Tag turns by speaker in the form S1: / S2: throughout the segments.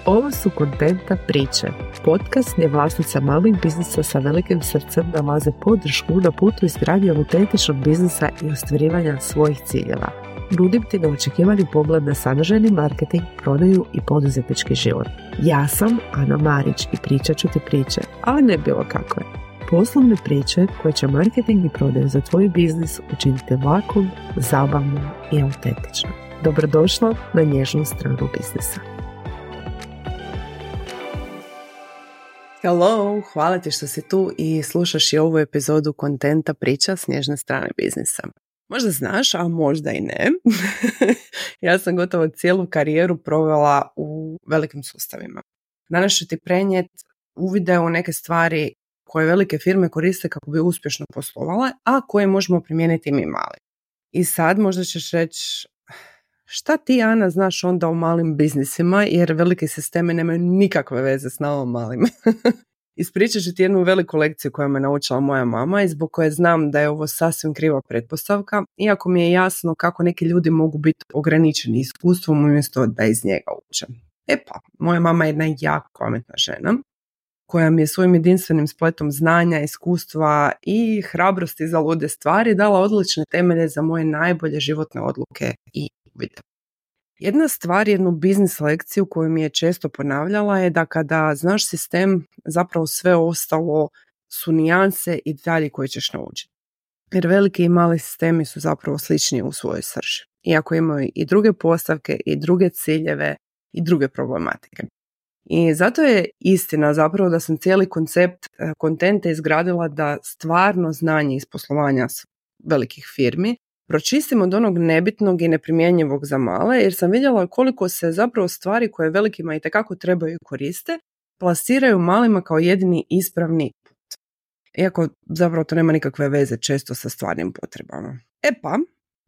S1: Ovo su Kontenta priče, podcast gdje vlasnica malih biznisa sa velikim srcem nalaze podršku na putu izgradnje autentičnog biznisa i ostvarivanja svojih ciljeva. Nudim ti neočekivani pogled na sadržajni marketing, prodaju i poduzetnički život. Ja sam Ana Marić i pričat ću ti priče, ali ne bilo kakve. Poslovne priče koje će marketing i prodaju za tvoj biznis učiniti lakom, zabavnom i autentičnom. Dobrodošla na nježnu stranu biznisa. Hello, hvala ti što si tu i slušaš i ovu epizodu Kontenta priča s nježne strane biznisa. Možda znaš, a možda i ne. Ja sam gotovo cijelu karijeru provela u velikim sustavima. Danas ću ti prenijeti uvide u neke stvari koje velike firme koriste kako bi uspješno poslovale, a koje možemo primijeniti mi mali. I sad možda ćeš reći, šta ti, Ana, znaš onda o malim biznisima, jer velike sisteme nemaju nikakve veze s nama malima. Ispričat ću ti jednu veliku lekciju koju me naučila moja mama i zbog koje znam da je ovo sasvim kriva pretpostavka, iako mi je jasno kako neki ljudi mogu biti ograničeni iskustvom umjesto da iz njega uče. Moja mama je jedna jako pametna žena koja mi je svojim jedinstvenim spletom znanja, iskustva i hrabrosti za lude stvari dala odlične temelje za moje najbolje životne odluke i uvide. Jedna stvar, jednu biznis lekciju koju mi je često ponavljala je da kada znaš sistem, zapravo sve ostalo su nijanse i detalji koje ćeš naučiti. Jer veliki i mali sistemi su zapravo slični u svojoj srži. Iako imaju i druge postavke, i druge ciljeve, i druge problematike. I zato je istina zapravo da sam cijeli koncept kontenta izgradila da stvarno znanje iz poslovanja velikih firmi pročistim od onog nebitnog i neprimjenjivog za male, jer sam vidjela koliko se zapravo stvari koje velikima itekako trebaju koriste, plasiraju malima kao jedini ispravni put. Iako zapravo to nema nikakve veze često sa stvarnim potrebama.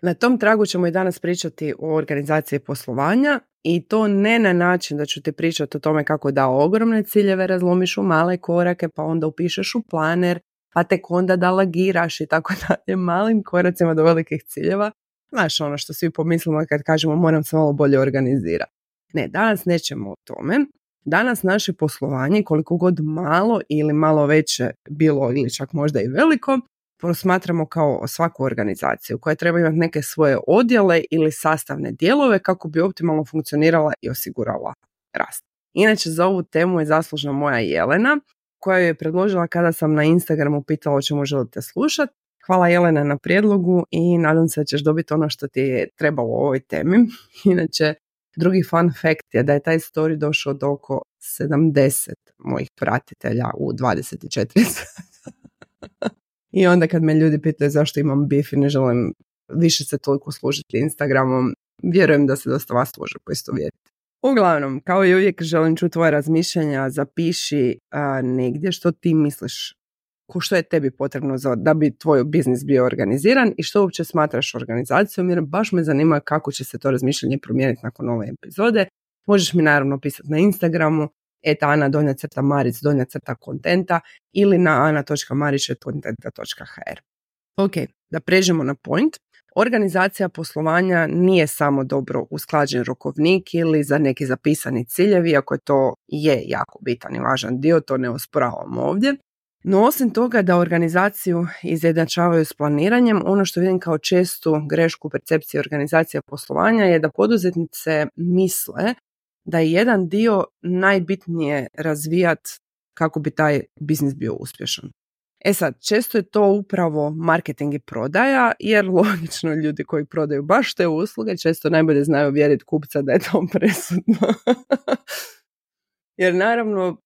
S1: Na tom tragu ćemo i danas pričati o organizaciji poslovanja i to ne na način da ću ti pričati o tome kako da ogromne ciljeve razlomiš u male korake, pa onda upišeš u planer, pa tek onda da lagiraš i tako dalje, malim koracima do velikih ciljeva. Znaš ono što svi pomislimo kad kažemo moram se malo bolje organizirati. Ne, danas nećemo o tome. Danas naše poslovanje, koliko god malo ili malo veće bilo ili čak možda i veliko, posmatramo kao svaku organizaciju koja treba imati neke svoje odjele ili sastavne dijelove kako bi optimalno funkcionirala i osigurala rast. Inače, za ovu temu je zaslužna moja Jelena, koja je predložila kada sam na Instagramu pitala o čemu želite slušati. Hvala Jelena na prijedlogu i nadam se da ćeš dobiti ono što ti je trebalo u ovoj temi. Inače, drugi fun fact je da je taj story došao do oko 70 mojih pratitelja u 24 sata. I onda kad me ljudi pitaju zašto imam bif i ne želim više se toliko služiti Instagramom, vjerujem da se dosta vas može poistovjetiti. Uglavnom, kao i uvijek želim čuti tvoje razmišljanja, zapiši negdje što ti misliš, što je tebi potrebno da bi tvoj biznis bio organiziran i što uopće smatraš organizacijom, jer baš me zanima kako će se to razmišljanje promijeniti nakon ove epizode. Možeš mi naravno pisati na Instagramu ana_maric_kontenta ili na ana.maric@kontenta.hr. Ok, da pređemo na point. Organizacija poslovanja nije samo dobro usklađen rokovnik ili za neki zapisani ciljevi, iako je to jako bitan i važan dio, to ne osporavam ovdje. No osim toga da organizaciju izjednačavaju s planiranjem, ono što vidim kao čestu grešku u percepciji organizacije poslovanja je da poduzetnice misle da je jedan dio najbitnije razvijati kako bi taj biznis bio uspješan. Sad, često je to upravo marketing i prodaja, jer logično ljudi koji prodaju baš te usluge često najbolje znaju uvjeriti kupca da je to presudno. Jer naravno,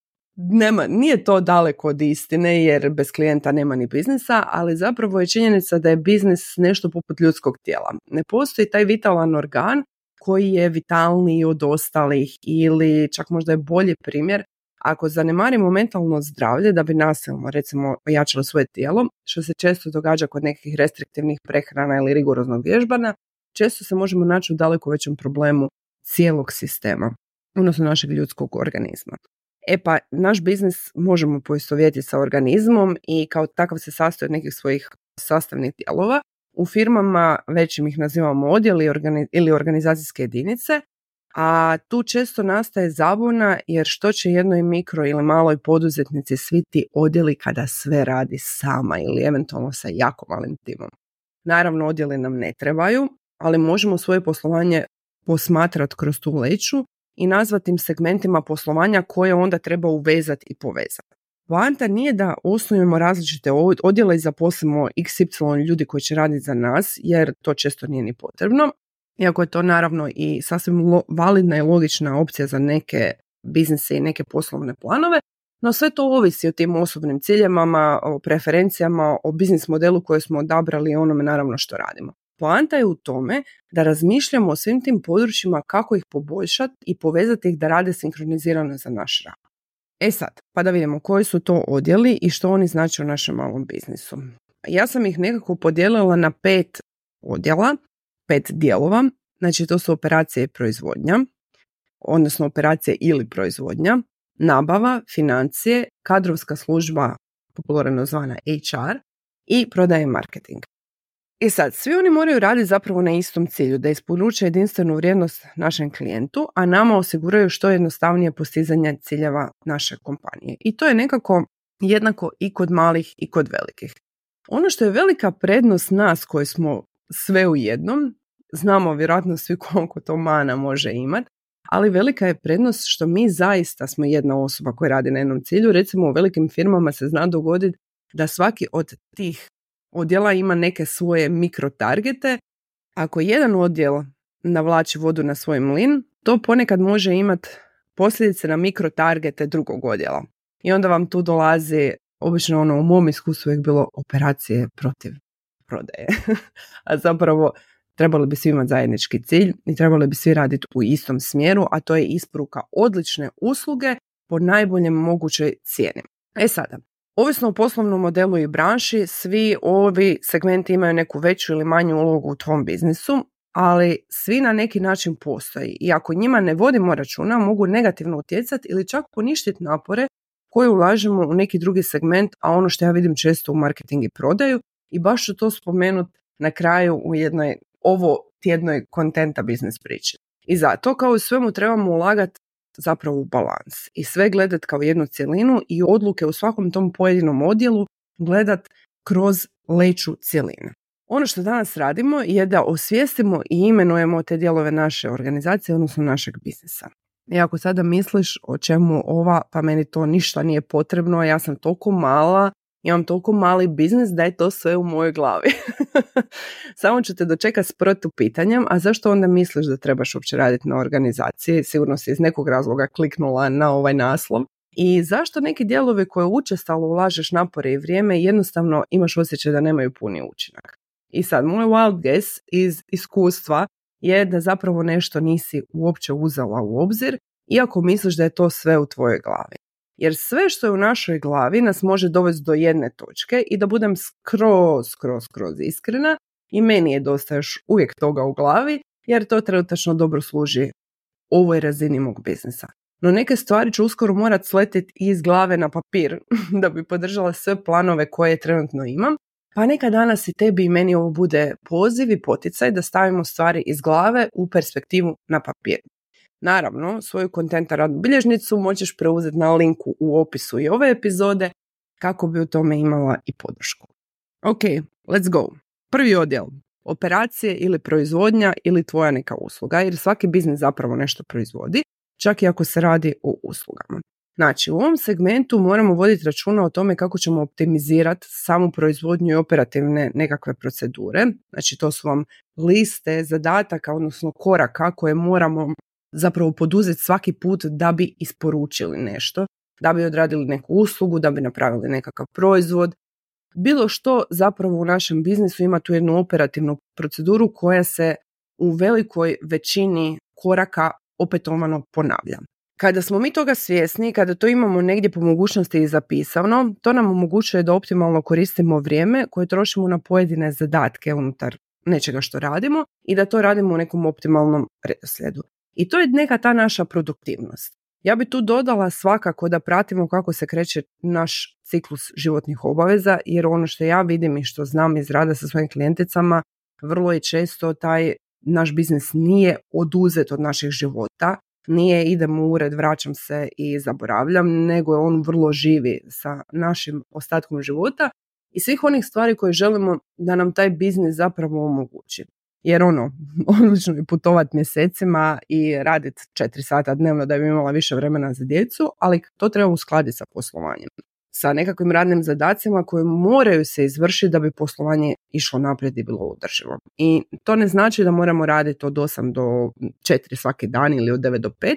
S1: nije to daleko od istine, jer bez klijenta nema ni biznisa, ali zapravo je činjenica da je biznis nešto poput ljudskog tijela. Ne postoji taj vitalan organ koji je vitalniji od ostalih ili čak možda je bolji primjer. Ako zanemarimo mentalno zdravlje da bi nasilno, recimo, ojačalo svoje tijelo, što se često događa kod nekih restriktivnih prehrana ili rigoroznog vježbanja, često se možemo naći u daleko većem problemu cijelog sistema, odnosno našeg ljudskog organizma. Naš biznis možemo poistovjetiti sa organizmom i kao takav se sastoji od nekih svojih sastavnih dijelova. U firmama većim ih nazivamo odjeli ili organizacijske jedinice, A tu često nastaje zabuna jer što će jednoj mikro ili maloj poduzetnici svi ti odjeli kada sve radi sama ili eventualno sa jako malim timom. Naravno, odjeli nam ne trebaju, ali možemo svoje poslovanje posmatrati kroz tu leću i nazvati im segmentima poslovanja koje onda treba uvezati i povezati. Poanta nije da osnujemo različite odjele i zaposlimo XY ljudi koji će raditi za nas, jer to često nije ni potrebno. Iako je to naravno i sasvim validna i logična opcija za neke biznise i neke poslovne planove, no sve to ovisi o tim osobnim ciljevima, o preferencijama, o biznis modelu koji smo odabrali i onome naravno što radimo. Poanta je u tome da razmišljamo o svim tim područjima kako ih poboljšati i povezati ih da rade sinkronizirano za naš rad. Sad, pa da vidimo koji su to odjeli i što oni znače u našem malom biznisu. Ja sam ih nekako podijelila na 5 odjela, 5 dijelova. Znači to su operacije i proizvodnja, odnosno operacije ili proizvodnja, nabava, financije, kadrovska služba, popularno zvana HR, i prodaja i marketing. I sad, svi oni moraju raditi zapravo na istom cilju, da isporuče jedinstvenu vrijednost našem klijentu, a nama osiguraju što jednostavnije postizanje ciljeva naše kompanije. I to je nekako jednako i kod malih i kod velikih. Ono što je velika prednost nas koji smo sve u jednom, znamo vjerojatno svi koliko to mana može imati, ali velika je prednost što mi zaista smo jedna osoba koja radi na jednom cilju. Recimo u velikim firmama se zna dogoditi da svaki od tih odjela ima neke svoje mikrotargete. Ako jedan odjel navlači vodu na svoj mlin, to ponekad može imati posljedice na mikrotargete drugog odjela. I onda vam tu dolazi, obično u mom iskustvu je bilo operacije protiv prodaje. A zapravo trebali bi svi imati zajednički cilj i trebali bi svi raditi u istom smjeru, a to je isporuka odlične usluge po najboljem mogućoj cijeni. Sada, ovisno o poslovnom modelu i branši, svi ovi segmenti imaju neku veću ili manju ulogu u tvom biznisu, ali svi na neki način postoji i ako njima ne vodimo računa, mogu negativno utjecati ili čak poništiti napore koje ulažemo u neki drugi segment, a ono što ja vidim često u marketing i prodaju, i baš ću to spomenuti na kraju u jednoj ovo tjednoj kontenta biznis priči. I zato, kao i svemu, trebamo ulagati zapravo u balans i sve gledati kao jednu cjelinu i odluke u svakom tom pojedinom odjelu gledati kroz leću cjeline. Ono što danas radimo je da osvijestimo i imenujemo te dijelove naše organizacije, odnosno našeg biznisa. I ako sada misliš o čemu ova, pa meni to ništa nije potrebno, ja sam toliko mala, imam toliko mali biznis da je to sve u mojoj glavi. Samo ću te dočekati s protupitanjem, a zašto onda misliš da trebaš uopće raditi na organizaciji? Sigurno si iz nekog razloga kliknula na ovaj naslov. I zašto neki dijelovi koje učestalo ulažeš napore i vrijeme jednostavno imaš osjećaj da nemaju puni učinak? I sad, moj wild guess iz iskustva je da zapravo nešto nisi uopće uzela u obzir, iako misliš da je to sve u tvojoj glavi. Jer sve što je u našoj glavi nas može dovesti do jedne točke i da budem skroz iskrena, i meni je dosta još uvijek toga u glavi, jer to trenutačno dobro služi ovoj razini mog biznisa. No neke stvari ću uskoro morati sletiti iz glave na papir da bi podržala sve planove koje trenutno imam, pa neka danas i tebi i meni ovo bude poziv i poticaj da stavimo stvari iz glave u perspektivu na papir. Naravno, svoju kontenta radnu bilježnicu možeš preuzeti na linku u opisu i ove epizode kako bi u tome imala i podršku. Ok, let's go. Prvi odjel, operacije ili proizvodnja ili tvoja neka usluga, jer svaki biznis zapravo nešto proizvodi, čak i ako se radi o uslugama. Znači, u ovom segmentu moramo voditi računa o tome kako ćemo optimizirati samu proizvodnju i operativne nekakve procedure. Znači, to su vam liste zadataka, odnosno koraka koje moramo zapravo poduzeti svaki put da bi isporučili nešto, da bi odradili neku uslugu, da bi napravili nekakav proizvod. Bilo što zapravo u našem biznisu ima tu jednu operativnu proceduru koja se u velikoj većini koraka opetovano ponavlja. Kada smo mi toga svjesni, kada to imamo negdje po mogućnosti i zapisano, to nam omogućuje da optimalno koristimo vrijeme koje trošimo na pojedine zadatke unutar nečega što radimo i da to radimo u nekom optimalnom redoslijedu. I to je neka ta naša produktivnost. Ja bi tu dodala svakako da pratimo kako se kreće naš ciklus životnih obaveza, jer ono što ja vidim i što znam iz rada sa svojim klijenticama, vrlo je često taj naš biznis nije oduzet od naših života, nije idem u ured, vraćam se i zaboravljam, nego je on vrlo živi sa našim ostatkom života i svih onih stvari koje želimo da nam taj biznis zapravo omogući. Jer odlično je putovati mjesecima i raditi 4 sata dnevno da bi imala više vremena za djecu, ali to treba uskladiti sa poslovanjem, sa nekakvim radnim zadacima koji moraju se izvršiti da bi poslovanje išlo naprijed i bilo održivo. I to ne znači da moramo raditi od 8 do 4 svaki dan ili od 9 do 5,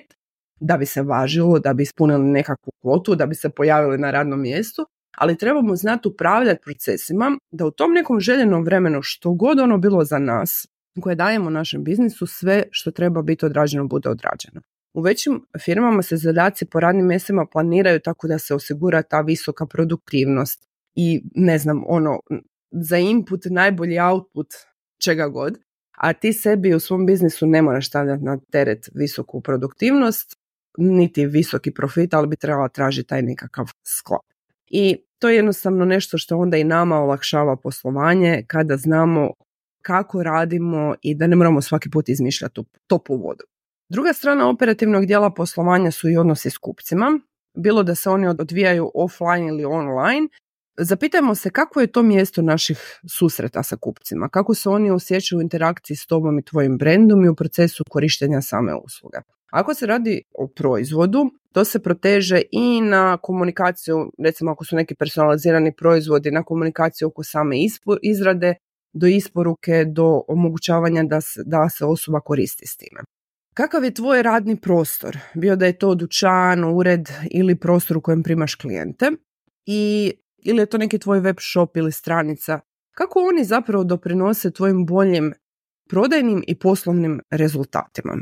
S1: da bi se važilo, da bi ispunili nekakvu kvotu, da bi se pojavili na radnom mjestu, ali trebamo znati upravljati procesima da u tom nekom željenom vremenu, što god ono bilo za nas, koje dajemo našem biznisu, sve što treba biti odrađeno bude odrađeno. U većim firmama se zadaci po radnim mjestima planiraju tako da se osigura ta visoka produktivnost i za input najbolji output čega god, a ti sebi u svom biznisu ne moraš stavljati na teret visoku produktivnost, niti visoki profit, ali bi trebala tražiti taj nekakav sklop. I to je jednostavno nešto što onda i nama olakšava poslovanje kada znamo kako radimo i da ne moramo svaki put izmišljati toplu vodu. Druga strana operativnog dijela poslovanja su i odnosi s kupcima, bilo da se oni odvijaju offline ili online. Zapitajmo se kako je to mjesto naših susreta sa kupcima, kako se oni osjećaju u interakciji s tobom i tvojim brendom i u procesu korištenja same usluge. Ako se radi o proizvodu, to se proteže i na komunikaciju, recimo ako su neki personalizirani proizvodi, na komunikaciju oko same izrade, do isporuke, do omogućavanja da se osoba koristi s time. Kakav je tvoj radni prostor? Bio da je to dućan, ured ili prostor u kojem primaš klijente ili je to neki tvoj web shop ili stranica? Kako oni zapravo doprinose tvojim boljim prodajnim i poslovnim rezultatima?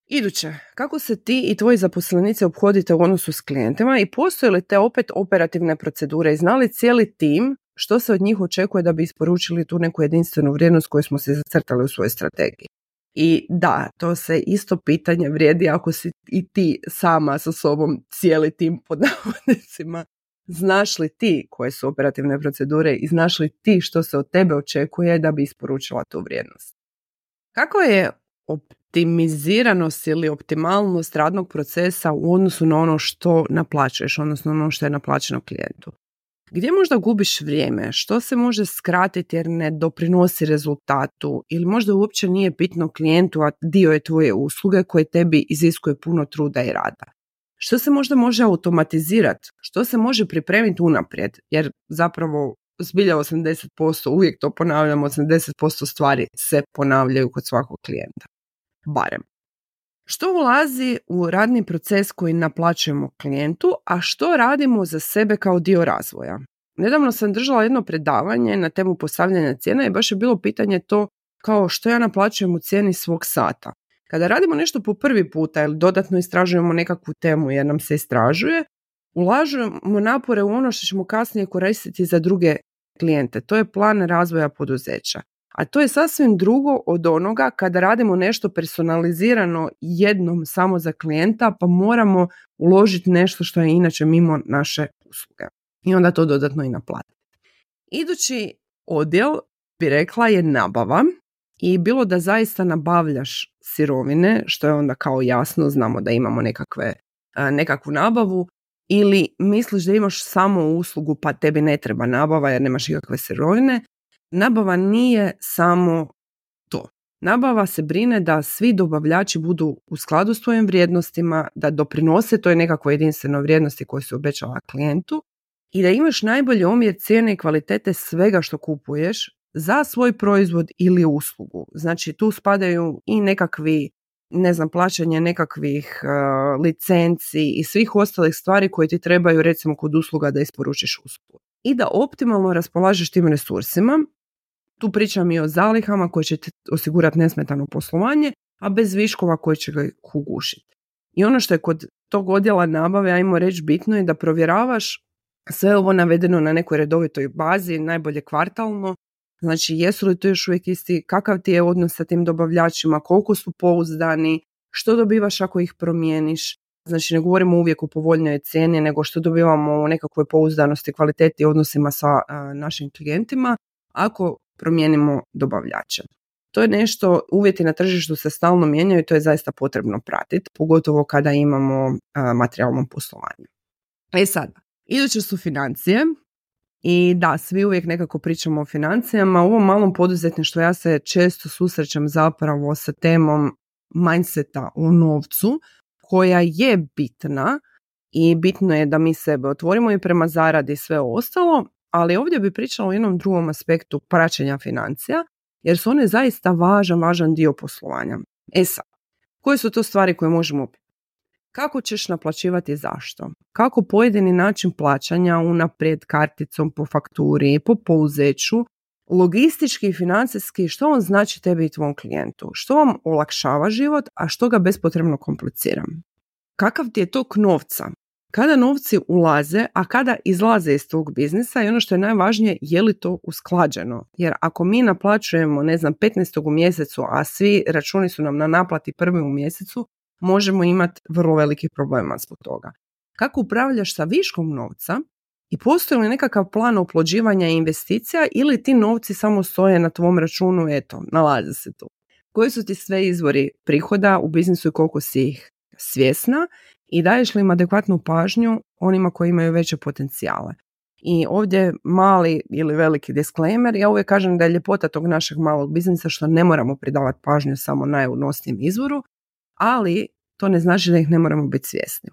S1: Iduće, kako se ti i tvoji zaposlenici ophodite u odnosu s klijentima i postoje li te opet operativne procedure i zna li cijeli tim što se od njih očekuje da bi isporučili tu neku jedinstvenu vrijednost koju smo se zacrtali u svojoj strategiji? I da, to se isto pitanje vrijedi ako si i ti sama sa sobom cijeli tim pod navodnicima. Znaš li ti koje su operativne procedure i znaš li ti što se od tebe očekuje da bi isporučila tu vrijednost? Kako je optimiziranost ili optimalnost radnog procesa u odnosu na ono što naplaćuješ, odnosno ono što je naplaćeno klijentu? Gdje možda gubiš vrijeme? Što se može skratiti jer ne doprinosi rezultatu? Ili možda uopće nije bitno klijentu, a dio je tvoje usluge koje tebi iziskuje puno truda i rada? Što se možda može automatizirati? Što se može pripremiti unaprijed? Jer zapravo zbilja 80%, uvijek to ponavljamo, 80% stvari se ponavljaju kod svakog klijenta. Barem. Što ulazi u radni proces koji naplaćujemo klijentu, a što radimo za sebe kao dio razvoja? Nedavno sam držala jedno predavanje na temu postavljanja cijena i baš je bilo pitanje to kao što ja naplaćujem u cijeni svog sata. Kada radimo nešto po prvi puta ili dodatno istražujemo nekakvu temu jer nam se istražuje, ulažemo napore u ono što ćemo kasnije koristiti za druge klijente. To je plan razvoja poduzeća. A to je sasvim drugo od onoga kada radimo nešto personalizirano jednom samo za klijenta, pa moramo uložiti nešto što je inače mimo naše usluge. I onda to dodatno i naplatiti. Idući odjel, bi rekla, je nabava. I bilo da zaista nabavljaš sirovine, što je onda kao jasno, znamo da imamo nekakvu nabavu, ili misliš da imaš samo uslugu pa tebi ne treba nabava jer nemaš ikakve sirovine. Nabava nije samo to. Nabava se brine da svi dobavljači budu u skladu s tvojim vrijednostima, da doprinose toj nekakvoj jedinstvenoj vrijednosti koju se obećala klijentu i da imaš najbolji omjer cijene i kvalitete svega što kupuješ za svoj proizvod ili uslugu. Znači tu spadaju i nekakvi, plaćanje nekakvih licenci i svih ostalih stvari koje ti trebaju recimo kod usluga da isporučiš uslugu. I da optimalno raspolažeš tim resursima. Tu pričam i o zalihama koje će ti osigurati nesmetano poslovanje, a bez viškova koji će ga ugušiti. I ono što je kod tog odjela nabave, ajmo reći, bitno je da provjeravaš sve ovo navedeno na nekoj redovitoj bazi, najbolje kvartalno. Znači, jesu li to još uvijek isti, kakav ti je odnos sa tim dobavljačima, koliko su pouzdani, što dobivaš ako ih promijeniš. Znači, ne govorimo uvijek o povoljnoj cijeni, nego što dobivamo u nekakvoj pouzdanosti, kvaliteti i odnosima sa našim klijentima ako promijenimo dobavljače. to je nešto, uvjeti na tržištu se stalno mijenjaju i to je zaista potrebno pratiti, pogotovo kada imamo materijalno poslovanje. Sad, iduće su financije. I da, svi uvijek nekako pričamo o financijama. U ovom malom poduzetništvu ja se često susrećem zapravo sa temom mindseta o novcu, koja je bitna i bitno je da mi sebe otvorimo i prema zaradi i sve ostalo, ali ovdje bi pričala o jednom drugom aspektu praćenja financija, jer su one zaista važan dio poslovanja. Sad, koje su to stvari koje možemo pitati? Kako ćeš naplaćivati, zašto? Kako pojedini način plaćanja unaprijed, karticom, po fakturi, po pouzeću, logistički i financijski, što on znači tebi i tvom klijentu? Što vam olakšava život, a što ga bespotrebno komplicira? Kakav ti je tok novca? Kada novci ulaze, a kada izlaze iz tog biznisa i ono što je najvažnije, je li to usklađeno? Jer ako mi naplaćujemo, 15. u mjesecu, a svi računi su nam na naplati 1. u mjesecu, možemo imati vrlo velikih problema zbog toga. Kako upravljaš sa viškom novca i postoji li nekakav plan oplođivanja i investicija ili ti novci samo stoje na tvom računu, nalaze se tu. Koji su ti sve izvori prihoda u biznisu i koliko si ih svjesna i daješ li im adekvatnu pažnju onima koji imaju veće potencijale. I ovdje mali ili veliki disclaimer, ja uvijek kažem da je ljepota tog našeg malog biznisa što ne moramo pridavati pažnju samo najunosnijem izvoru, ali to ne znači da ih ne moramo biti svjesni.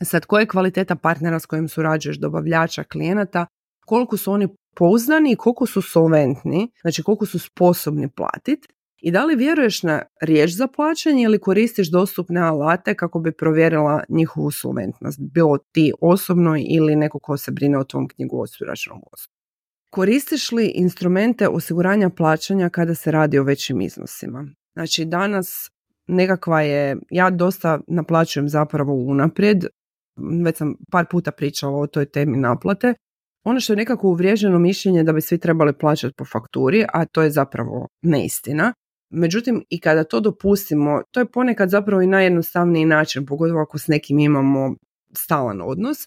S1: Sad, koja je kvaliteta partnera s kojim surađuješ, dobavljača, klijenata, koliko su oni pouzdani i koliko su solventni, znači koliko su sposobni platiti i da li vjeruješ na riječ za plaćanje ili koristiš dostupne alate kako bi provjerila njihovu solventnost, bilo ti osobno ili neko ko se brine o tvom knjigovodstvu i računovodstvu. Koristiš li instrumente osiguranja plaćanja kada se radi o većim iznosima? Znači, danas nekakva je, ja dosta naplaćujem zapravo unaprijed, već sam par puta pričala o toj temi naplate. Ono što je nekako uvriježeno mišljenje da bi svi trebali plaćati po fakturi, a to je zapravo neistina. Međutim, i kada to dopustimo, to je ponekad zapravo i najjednostavniji način, pogotovo ako s nekim imamo stalan odnos.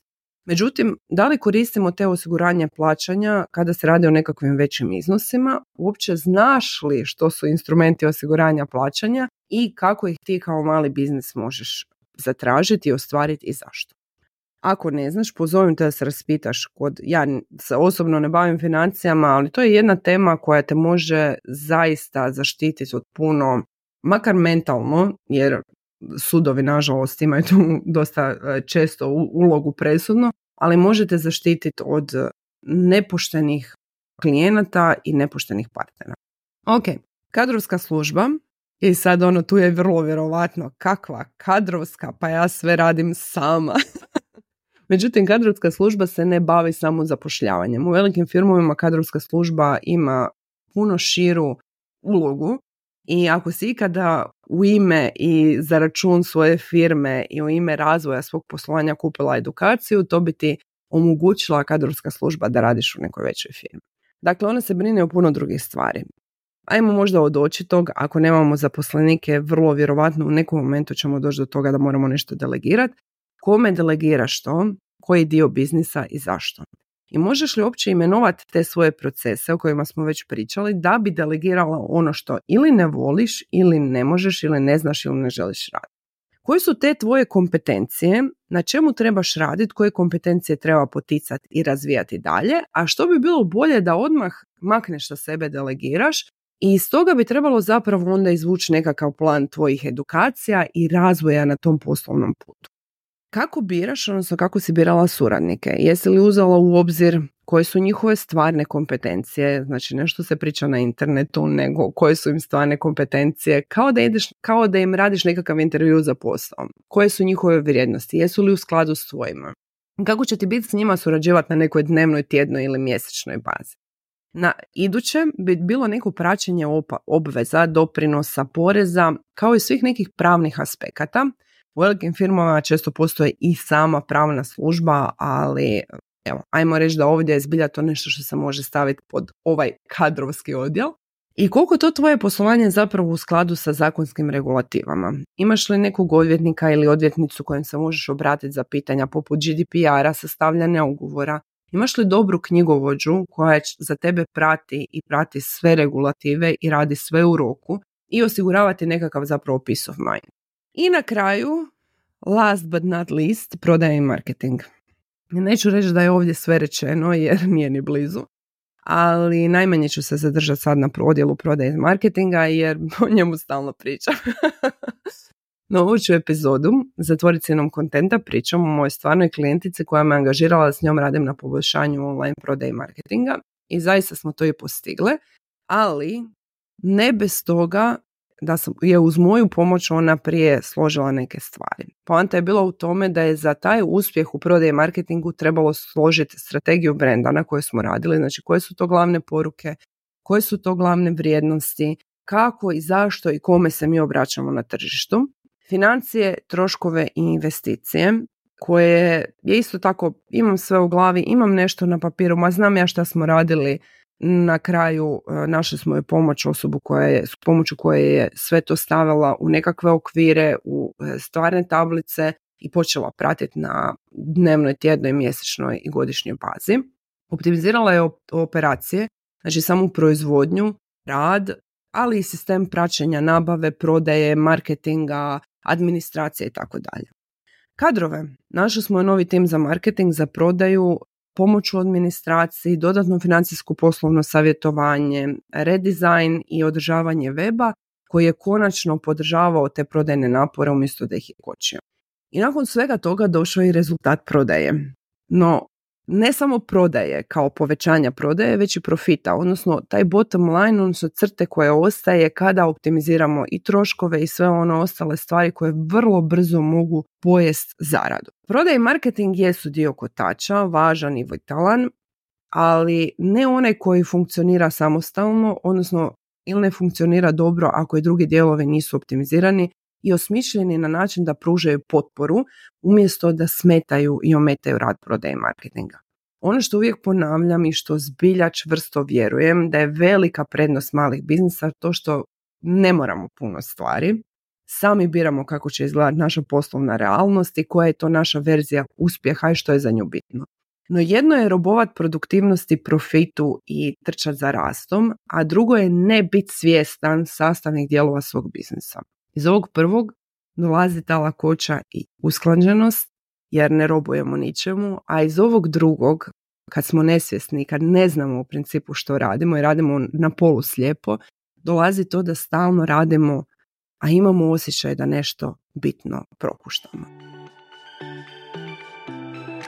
S1: Međutim, da li koristimo te osiguranje plaćanja kada se radi o nekakvim većim iznosima? Uopće znaš li što su instrumenti osiguranja plaćanja i kako ih ti kao mali biznis možeš zatražiti, ostvariti i zašto? Ako ne znaš, pozovem te da se raspitaš. Ja se osobno ne bavim financijama, ali to je jedna tema koja te može zaista zaštititi od puno, makar mentalno, jer sudovi nažalost imaju tu dosta često ulogu presudno, ali možete zaštititi od nepoštenih klijenata i nepoštenih partnera. Ok, kadrovska služba. I sad tu je vrlo vjerovatno kakva kadrovska, pa ja sve radim sama. Međutim, kadrovska služba se ne bavi samo zapošljavanjem. U velikim firmovima kadrovska služba ima puno širu ulogu i ako si ikada u ime i za račun svoje firme i u ime razvoja svog poslovanja kupila edukaciju, to bi ti omogućila kadrovska služba da radiš u nekoj većoj firmi. Dakle, ona se brine o puno drugih stvari. Ajmo možda od očitog, ako nemamo zaposlenike, vrlo vjerovatno u nekom momentu ćemo doći do toga da moramo nešto delegirati. Kome delegiraš to, koji dio biznisa i zašto? I možeš li uopće imenovati te svoje procese o kojima smo već pričali da bi delegirala ono što ili ne voliš, ili ne možeš, ili ne znaš, ili ne želiš raditi? Koje su te tvoje kompetencije, na čemu trebaš raditi, koje kompetencije treba poticati i razvijati dalje, a što bi bilo bolje da odmah makneš sa sebe, delegiraš i iz toga bi trebalo zapravo onda izvući nekakav plan tvojih edukacija i razvoja na tom poslovnom putu. Kako biraš, odnosno kako si birala suradnike? Jesi li uzela u obzir koje su njihove stvarne kompetencije, znači nešto se priča na internetu, nego koje su im stvarne kompetencije, kao da im radiš nekakav intervju za posao. Koje su njihove vrijednosti, jesu li u skladu s tvojima? Kako će ti biti s njima surađivati na nekoj dnevnoj, tjednoj ili mjesečnoj bazi? Na iduće bi bilo neko praćenje obveza, doprinosa, poreza, kao i svih nekih pravnih aspekata. U velikim firmama često postoji i sama pravna služba, ali evo, ajmo reći da ovdje je zbilja to nešto što se može staviti pod ovaj kadrovski odjel. I koliko to tvoje poslovanje zapravo u skladu sa zakonskim regulativama? Imaš li nekog odvjetnika ili odvjetnicu kojem se možeš obratiti za pitanja poput GDPR-a, sastavljanja ugovora, Imaš li dobru knjigovođu koja za tebe prati i prati sve regulative i radi sve u roku i osiguravati nekakav zapravo peace of mind. I na kraju, last but not least, prodaja i marketing. Neću reći da je ovdje sve rečeno jer nije ni blizu, ali najmanje ću se zadržati sad na odjelu prodaje i marketinga jer o njemu stalno pričam. No, ovu ću epizodu zatvoriti cijenom kontenta pričam o mojoj stvarnoj klijentici koja me angažirala da s njom radim na poboljšanju online prodaje i marketinga i zaista smo to i postigle, ali ne bez toga da je uz moju pomoć ona prije složila neke stvari. Poanta je bila u tome da je za taj uspjeh u prodaji i marketingu trebalo složiti strategiju brenda na kojoj smo radili, znači koje su to glavne poruke, koje su to glavne vrijednosti, kako i zašto i kome se mi obraćamo na tržištu, financije, troškove i investicije, koje je isto tako, imam sve u glavi, imam nešto na papiru, ma znam ja šta smo radili. Na kraju našli smo joj osobu s pomoću koje je sve to stavila u nekakve okvire, u stvarne tablice i počela pratiti na dnevnoj, tjednoj, mjesečnoj i godišnjoj bazi. Optimizirala je operacije, znači samu proizvodnju, rad, ali i sistem praćenja nabave, prodaje, marketinga, administracije i tako dalje. Kadrove. Našli smo novi tim za marketing, za prodaju, pomoć u administraciji, dodatno financijsko poslovno savjetovanje, redizajn i održavanje weba koji je konačno podržavao te prodajne napore umjesto da ih je kočio. I nakon svega toga došao i rezultat prodaje. No, ne samo prodaje kao povećanja prodaje, već i profita, odnosno taj bottom line, odnosno crte koje ostaje kada optimiziramo i troškove i sve ono ostale stvari koje vrlo brzo mogu pojest zaradu. Prodaj i marketing jesu dio kotača, važan i vitalan, ali ne onaj koji funkcionira samostalno, odnosno ili ne funkcionira dobro ako i drugi dijelovi nisu optimizirani i osmišljeni na način da pružaju potporu umjesto da smetaju i ometaju rad prodaje i marketinga. Ono što uvijek ponavljam i što zbilja čvrsto vjerujem da je velika prednost malih biznisa to što ne moramo puno stvari, sami biramo kako će izgledati naša poslovna realnost i koja je to naša verzija uspjeha i što je za nju bitno. No jedno je robovat produktivnosti, profitu i trčat za rastom, a drugo je ne biti svjestan sastavnih dijelova svog biznisa. Iz ovog prvog dolazi ta lakoća i usklađenost jer ne robujemo ničemu, a iz ovog drugog, kad smo nesvjesni, kad ne znamo u principu što radimo i radimo na polu slijepo, dolazi to da stalno radimo, a imamo osjećaj da nešto bitno propuštamo.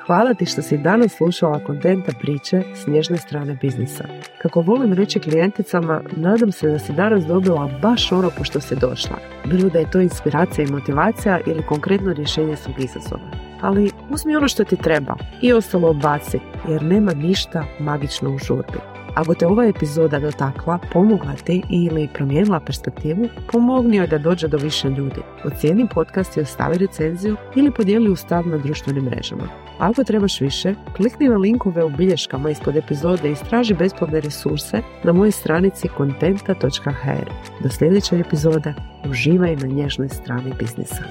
S1: Hvala ti što si danas slušala kontenta priče s nježne strane biznisa. Kako volim reći klijenticama, nadam se da si danas dobila baš ono po što si došla. Bilo da je to inspiracija i motivacija ili konkretno rješenje svog izazova. Ali uzmi ono što ti treba i ostalo odbaci, jer nema ništa magično u žurbi. Ako te ova epizoda dotakla, pomogla ti ili promijenila perspektivu, pomogni joj da dođe do više ljudi. Ocijeni podcast i ostavi recenziju ili podijeli u stav na društvenim mrežama. Ako trebaš više, klikni na linkove u bilješkama ispod epizode i istraži besplatne resurse na mojoj stranici kontenta.hr. Do sljedeće epizode, uživaj na nježnoj strani biznisa.